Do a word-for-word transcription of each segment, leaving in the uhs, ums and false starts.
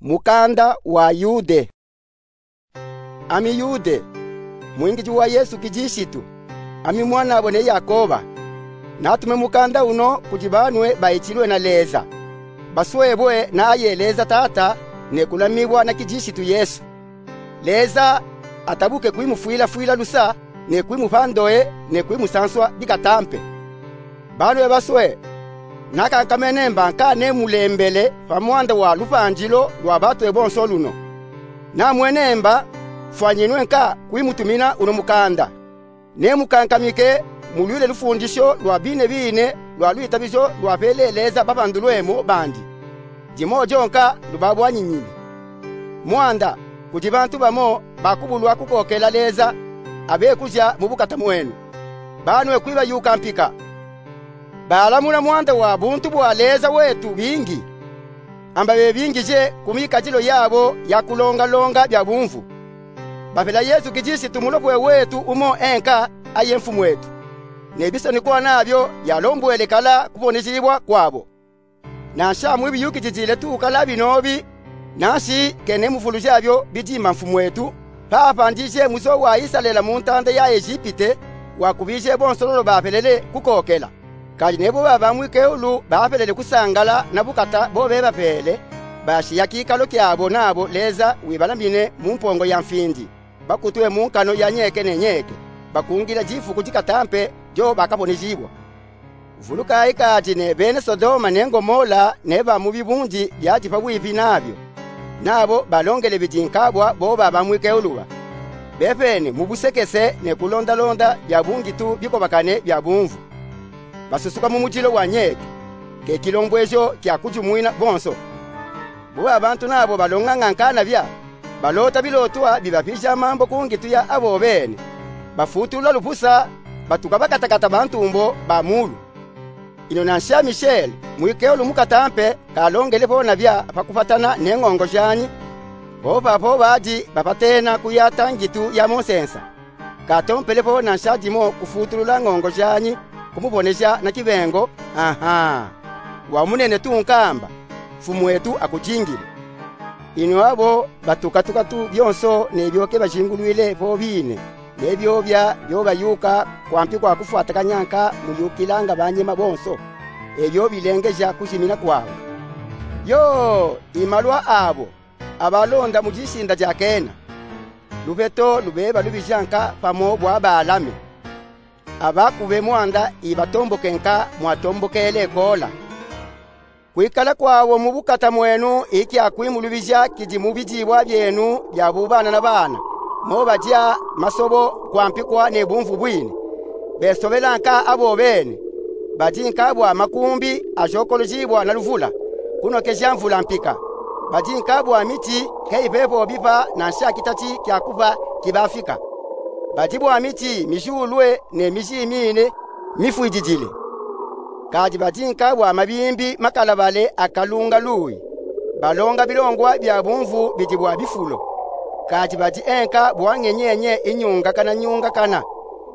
Mukanda wa Yude. Ami Yude, mwingidi wa Yesu Kidisitu, ami mwanabo ne Yakoba. Natume mukanda uno kudi banwe bayitilwe na Leza, baswebwe na aye Leza Tata, ne kulamibwa na Kidisitu Yesu. Leza atabuke kwimufwilafwila lusa, ne kwimupa ndoye, ne kwimusanswa bikatampe. Banwe baswe, nakankamene mba nka nemulembele pa mwanda wa lupandilo lwa batwe bonso luno. Namwene mba fwanyinwe nka kwimutumina uno mukanda. Nemukankamike mulwile lufundisho lwa bine bine lwa lwitabijo lwapele Leza bapandulwemo bandi. Dimo dyonka lubabwanyinyine. Mwanda, kudi bantu bamo bakubulwa kukokela Leza, abekuja mu bukata mwenu. Banwe kwibayuka mpika. Balamuna mwanda wa buntu bwa Leza wetu bingi. Amba bebingije ku mikadilo yabo ya kulongalonga bya bumvu. Bapela Yesu Kidisitu Mulopwe wetu umo enka, aye Mfumwetu. Ne bisonikwa nabyo byalombwele kala kubonejibwa kwabo. Nansha mwibiyukijijile tu kala binobi, nanshi kene mufuluja byo bidima Mfumwetu, papandije muzo wa Isalele mu ntanda ya Ejipite, wakubije bonso lolo bapelele kukokela. Kadi nebo baba mwikeulu bapelele kusangala na bukata bo bebapele, bashiya kikalo kyabo nabo Leza wibalamine mu mpongo ya mfindi, bakutwe mu nkano ya nyeke ne nyeke, bakungila difuku dikatampe dyo bakabonejibwa. Vulukayi kadi ne bene Sodoma ne Ngomola ne ba mu bibundi byadi pabwipi nabyo, nabo balongele bidi nkabwa bo baba mwikeulu ba. Bepene mu busekese ne kulondalonda bya bungi tu bikobakane bya bumvu. Basusuka mu mudilo wa nyeke, ke kilombwejo kya kujumwina bonso. Bo ba bantu nabo balonganga nkana bya, balota bilotwa bibapija mambo ku ngitu ya abo bene. Bafutulula lupusa, batuka bakatakata bantumbo ba mulu. Ino nansha Mishele, mwikeulu mukatampe, kalongele po na bya pa kupatana ne ngongo janyi. Po papo badi bapatena kuyata ngitu ya mu nsensa. Katompele po nansha dimo kufutulula ngongo janyi, kumuboneja na kibengo, aha, wa munene tu nkamba, Mfumwetu akujingile. Ino abo batukatuka tu byonso nebyo ke bajingulwile po bine, nebyo bya byo bayuka kwampi kwa kufwatakanya nka muyukilanga banyema bonso, ebyo bilengeja kujimina kwabo. Yo, imalwa abo abalonda mu disinda dya kena. Lubeto lubeba lubija nka pamo bwa Balame. Abakube mwanda ibatomboke nka mwatombokele Kola. Kwikala kwabo mu bukata mwenu ikya kwimulubija kidi mu bidibwa byenu bya bubana na bana, mo badya masobo kwampikwa ne bumvu bwine. Besobela nka abo bene, badi nka bwa makumbi ajokolojibwa na luvula, kunokeja mvula mpika. Badi nka bwa miti ke ipepo bipa nansha kitati kya kupa kibafika. Badi bwa miti mijulwe ne mijimine mifwididile. Kadi badi nka bwa mabimbi makalabale akalunga luyi. Balonga bilongwa bya bumvu bidi bwa bifulo. Kadi badi enka bwa ngenyenye inyungakana nyungakana.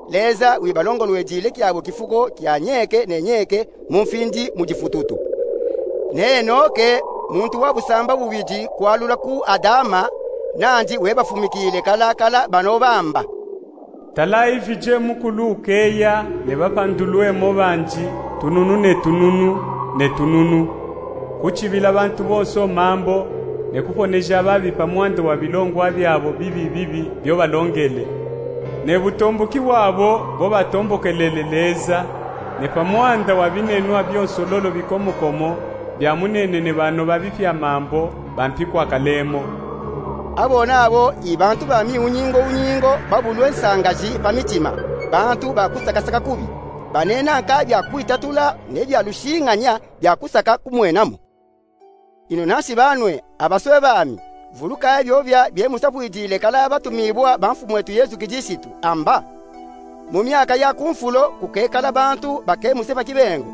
Leza wibalongolwedile kyabo kifuko kya nyeke ne nyeke mu mfindi mu difututu. Ne Enoke, muntu wa busamba bubidi kwalula ku Adama, nandi webafumikile kalakala bano bamba. Tala ivije mukulu ukeya ne bapandulwemo bandi tununu ne tununu ne tununu, kutibila bantu bonso mambo, ne kuponeja babi pa mwanda wa bilongwa byabo bibi bibi byo balongele, ne butomboki bwabo bo batombokelele Leza, ne pa mwanda wa binenwa byonso lolo bikomokomo bya munene ne banoba bipya mambo bampikwa kalemo. Abo nabo ibantu ba miunyingo unyingo babulwe nsangaji pa mitima, bantu ba kusakasaka kubi, banena nka bya kwitatula ne bya lushinganya bya kusaka kumwenamo. Ino nansi banwe, abaswe bami, vulukayi byobya bye musapwidile kala batumibwa ba Mfumwetu Yesu Kidisitu, amba. Mu myaka ya ku nfulo kukekala bantu bakemuse pa kibengo,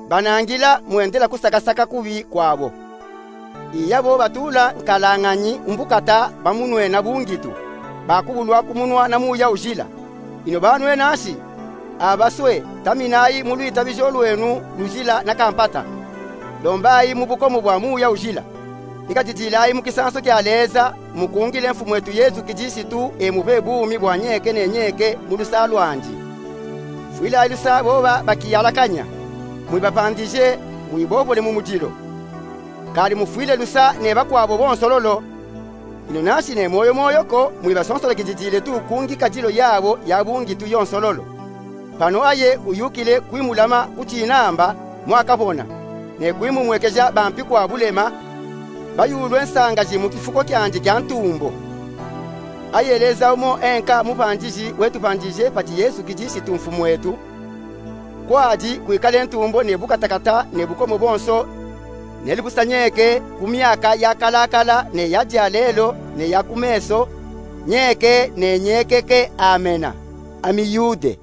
banangila mwendela kusakasaka kubi kwabo. Iyabo batula nkalañanyi mbukata bamunwena bungitu, bakubulwa kumunwa na Muya Ujila. Ino banwe nansi, abaswe, taminayi mu lwitabijo lwenu lujila na kampata. Lombayi mu bukomo bwa Muya Ujila. Ikadidilayi mu kisanso kia Leza, mukungile Mfumwetu Yesu Kisitu, e mube bumi bwa nyeke ne nyeke mu lusa lwandi. Fwilayi lusa boba bakiyalakanya, mwibapandije, mwibobole mu mudilo. Kadi mufwile lusa ne bakwabo bonso lolo, ino nanshi ne moyo moyo ko, mwibasonsola kididile tu ku ngikadilo yabo ya bungi tu yonso lolo. Pano aye uyukile kwimulama ku tinamba mwakabona, ne kwimumwekeja bampi kwa bulema, bayulwe nsangaji mu kifuko kiandi kia ntumbo. Aye Leza umo enka mupandiji wetupandije pati Yesu Kisitu Mfumwetu, kwadi kwikale ntumbo ne bukatakata ne bukomo bonso, neli busa nyeke ku myaka yakalakala ne ya dia lelo ne ya ku meso, nyeke ne nyekeke. Amena. Amiyude.